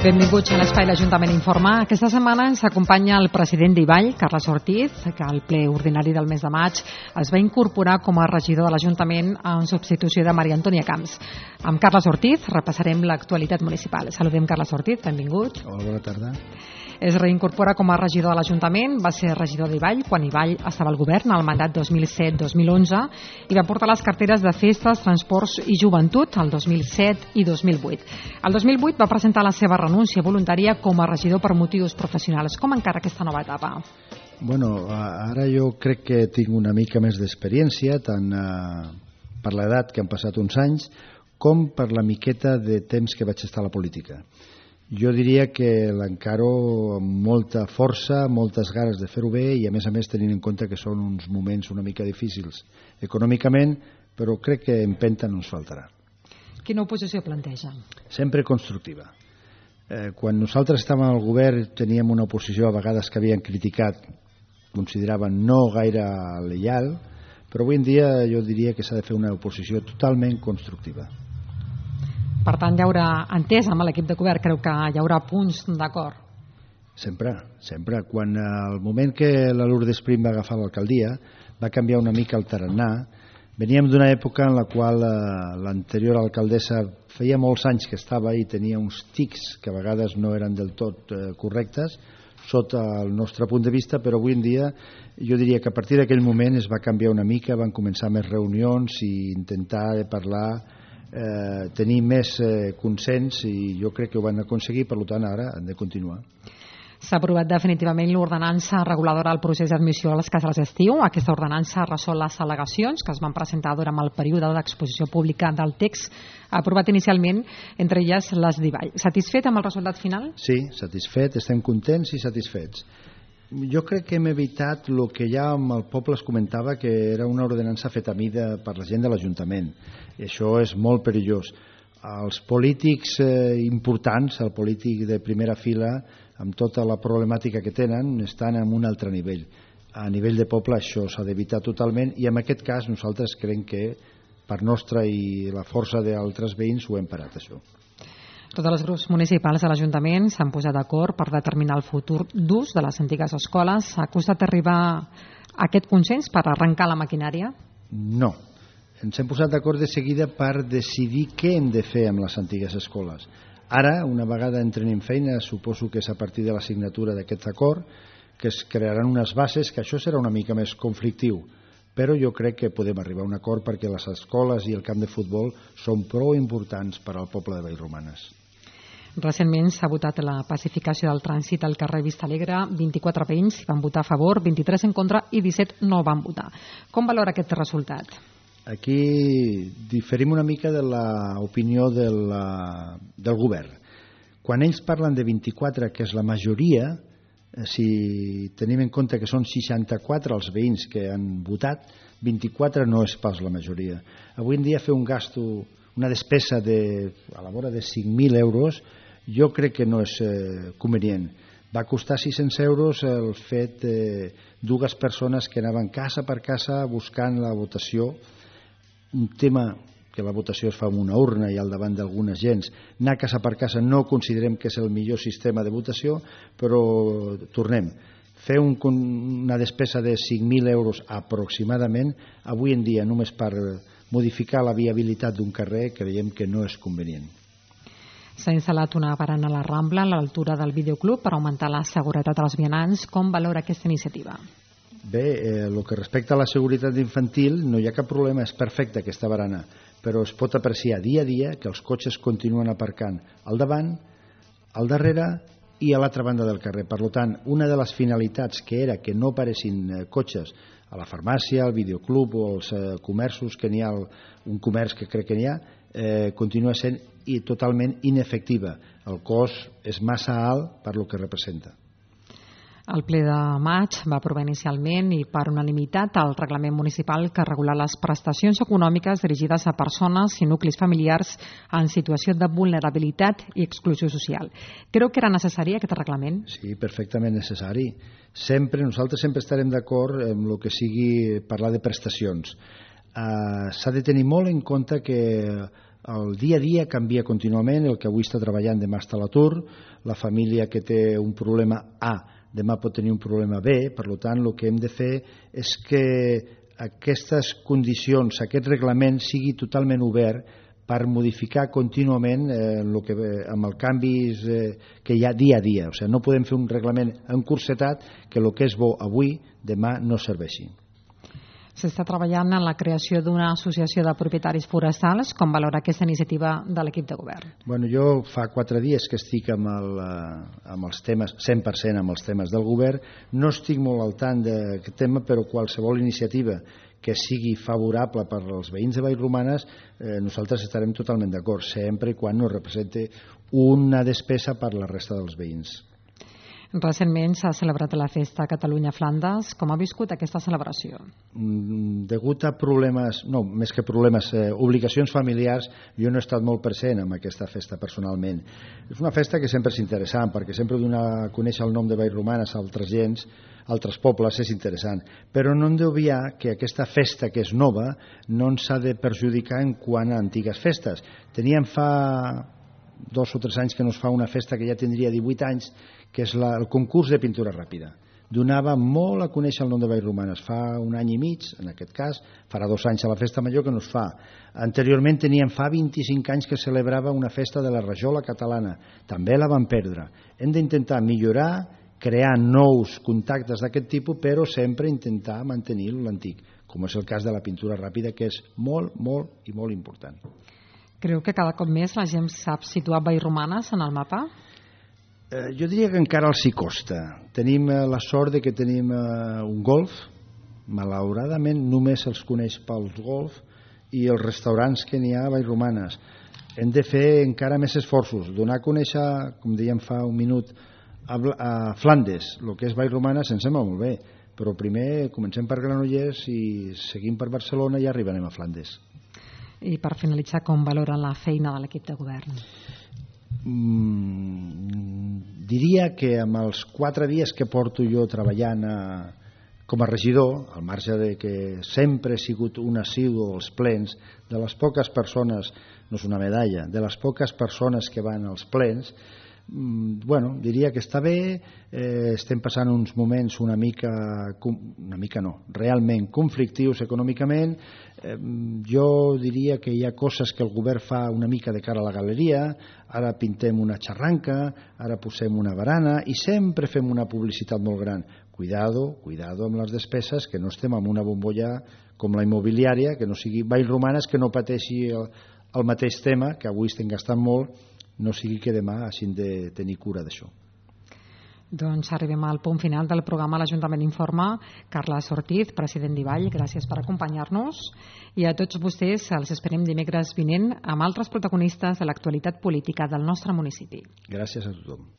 Benvinguts a l'Espai l'Ajuntament Informa. Aquesta setmana ens acompanya el president d'Ivall, Carles Ortiz, que al ple ordinari del mes de maig es va incorporar com a regidor de l'Ajuntament en substitució de Maria Antònia Camps. Amb Carles Ortiz repassarem l'actualitat municipal. Saludem Carles Ortiz, benvingut. Hola, bona tarda. Es reincorpora com a regidor de l'Ajuntament, va ser regidor d'Ivall quan Ivall estava al govern al mandat 2007-2011 i va portar les carteres de festes, transports i joventut el 2007 i 2008. El 2008 va presentar la seva renúncia voluntària com a regidor per motius professionals. Com encara aquesta nova etapa? Bueno, ara jo crec que tinc una mica més d'experiència, tant per l'edat, que han passat uns anys, com per la miqueta de temps que vaig estar a la política. Jo diria que l'encaro amb molta força, moltes ganes de fer-ho bé i a més tenint en compte que són uns moments una mica difícils econòmicament, però crec que empenta no ens faltarà. Quina oposició planteja? Sempre constructiva. Quan nosaltres estàvem al govern teníem una oposició a vegades que havien criticat, consideraven no gaire lleial, però avui en dia jo diria que s'ha de fer una oposició totalment constructiva. Per tant, hi haurà entès amb l'equip de govern, creu que hi haurà punts d'acord? Sempre. Quan al moment que la Lourdes Prim va agafar l'alcaldia va canviar una mica el tarannà. Veníem d'una època en la qual l'anterior alcaldessa feia molts anys que estava i tenia uns tics que a vegades no eren del tot correctes sota el nostre punt de vista, però avui en dia jo diria que a partir d'aquell moment es va canviar una mica, van començar més reunions i intentar parlar, tenir més consens i jo crec que ho van aconseguir, per tant ara han de continuar. S'ha aprovat definitivament l'ordenança reguladora del procés d'admissió a les cases d'estiu. Aquesta ordenança resol les al·legacions que es van presentar durant el període d'exposició pública del text aprovat inicialment, entre elles les d'Ivall. Satisfet amb el resultat final? Sí, satisfet, estem contents i satisfets. Jo crec que hem evitat el que ja amb el poble es comentava, que era una ordenança feta a mida per la gent de l'Ajuntament. I això és molt perillós. Els polítics importants, el polític de primera fila, amb tota la problemàtica que tenen, estan en un altre nivell. A nivell de poble això s'ha d'evitar totalment i en aquest cas nosaltres creiem que per nostra i la força d'altres veïns ho hem parat, això. Tots els grups municipals de l'Ajuntament s'han posat d'acord per determinar el futur d'ús de les antigues escoles. Ha costat arribar a aquest consens per arrencar la maquinària? No. Ens hem posat d'acord de seguida per decidir què hem de fer amb les antigues escoles. Ara, una vegada entren en feina, suposo que és a partir de la signatura d'aquest acord, que es crearan unes bases, que això serà una mica més conflictiu, però jo crec que podem arribar a un acord perquè les escoles i el camp de futbol són prou importants per al poble de Vallromanes. Recentment s'ha votat la pacificació del trànsit al carrer Vista Alegre. 24 veïns van votar a favor, 23 en contra i 17 no van votar. Com valora aquest resultat? Aquí diferim una mica de l'opinió del govern. Quan ells parlen de 24, que és la majoria, si tenim en compte que són 64 els veïns que han votat, 24 no és pas la majoria. Avui en dia fer un gasto, una despesa a la vora de 5.000 euros, jo crec que no és convenient. Va costar 600 euros el fet de dues persones que anaven casa per casa buscant la votació, un tema que la votació es fa amb una urna i al davant d'algunes gens. Anar casa per casa no considerem que és el millor sistema de votació, però tornem. Fer una despesa de 5.000 euros aproximadament, avui en dia només per modificar la viabilitat d'un carrer, creiem que no és convenient. S'ha instal·lat una barana a la Rambla a l'altura del videoclub per augmentar la seguretat als vianants. Com valora aquesta iniciativa? Bé, el que respecta a la seguretat infantil no hi ha cap problema, és perfecta aquesta barana, però es pot apreciar dia a dia que els cotxes continuen aparcant al davant, al darrere i a l'altra banda del carrer. Per tant, una de les finalitats que era que no aparessin cotxes a la farmàcia, al videoclub o als comerços, que n'hi ha un comerç que crec que n'hi ha, continua sent totalment inefectiva. El cost és massa alt per lo que representa. El ple de maig va aprovar inicialment i per unanimitat el reglament municipal que regula les prestacions econòmiques dirigides a persones i nuclis familiars en situació de vulnerabilitat i exclusió social. Creu que era necessari aquest reglament? Sí, perfectament necessari. Nosaltres sempre estarem d'acord amb el que sigui parlar de prestacions. S'ha de tenir molt en compte que El dia a dia canvia contínuament, el que avui està treballant demà està a l'atur, la família que té un problema A demà pot tenir un problema B, per tant el que hem de fer és que aquestes condicions, aquest reglament sigui totalment obert per modificar contínuament amb els canvis que hi ha dia a dia. O sigui, no podem fer un reglament encursetat que el que és bo avui, demà no serveixi. S'està treballant en la creació d'una associació de propietaris forestals. Com valora aquesta iniciativa de l'equip de govern? Bueno, jo fa 4 dies que estic amb els temes, 100% amb els temes del govern. No estic molt al tant d'aquest tema, però qualsevol iniciativa que sigui favorable per als veïns de Vallromanes, nosaltres estarem totalment d'acord, sempre i quan no represente una despesa per la resta dels veïns. Recentment s'ha celebrat la festa Catalunya-Flandes. Com ha viscut aquesta celebració? Degut a problemes, no, més que problemes, obligacions familiars, jo no he estat molt present en aquesta festa personalment. És una festa que sempre és interessant, perquè sempre donar a conèixer el nom de Vallromanes a altres gens, altres pobles, és interessant. Però no hem d'obviar que aquesta festa, que és nova, no ens ha de perjudicar en quant a antigues festes. Teníem fa 2 o 3 anys que no es fa una festa que ja tindria 18 anys, que és el concurs de pintura ràpida. Donava molt a conèixer el nom de Vallromanes. Fa 1 any i mig, en aquest cas, farà 2 anys a la festa major que no es fa. Anteriorment teníem fa 25 anys que celebrava una festa de la rajola catalana. També la vam perdre. Hem d'intentar millorar, crear nous contactes d'aquest tipus, però sempre intentar mantenir l'antic, com és el cas de la pintura ràpida, que és molt, molt i molt important. Creu que cada cop més la gent sap situar Vallromanes en el mapa? Jo diria que encara els hi costa. Tenim la sort de que tenim un golf, malauradament només els coneix pels golf i els restaurants que n'hi ha a Vallromanes. Hem de fer encara més esforços, donar a conèixer, com dèiem fa un minut, a Flandes, el que és Vallromanes ens sembla molt bé, però primer comencem per Granollers i seguim per Barcelona i arribarem a Flandes. I per finalitzar, com valoren la feina de l'equip de govern? Diria que amb els 4 dies que porto jo treballant com a regidor, al marge de que sempre he sigut un assidu als plens, de les poques persones, no és una medalla, de les poques persones que van als plens, diria que està bé. Estem passant uns moments una mica no, realment conflictius econòmicament. Jo diria que hi ha coses que el govern fa una mica de cara a la galeria. Ara pintem una xarranca, ara posem una barana i sempre fem una publicitat molt gran. Cuidado amb les despeses, que no estem en una bombolla com la immobiliària, que no sigui Vallromanes, que no pateixi el mateix tema, que avui estem gastant molt, no sigui que demà hagin de tenir cura d'això. Doncs arribem al punt final del programa L'Ajuntament Informa. Carles Ortiz, president d'Ivall, gràcies per acompanyar-nos. I a tots vostès els esperem dimecres vinent amb altres protagonistes de l'actualitat política del nostre municipi. Gràcies a tothom.